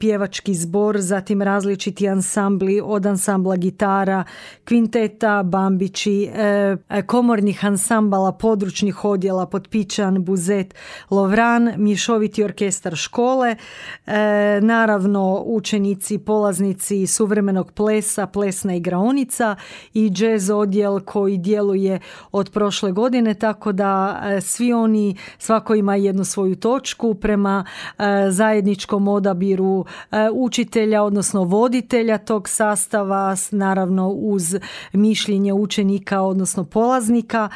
pjevački zbor, zatim različiti ansambli, od ansambla gitara, kvinteta, bambići, komornih ansambala, područnih odjela, Potpičan, Buzet, Lovran, mješoviti orkestar škole, naravno učenici, polaznici suvremenog plesa, plesna igraonica i jazz odjel koji djeluje od prošle godine, tako da svi oni, svako ima jednu svoju točku prema zajedničkom odabiru učitelja, odnosno voditelja tog sastava, naravno uz mišljenje učenika, odnosno polaznika,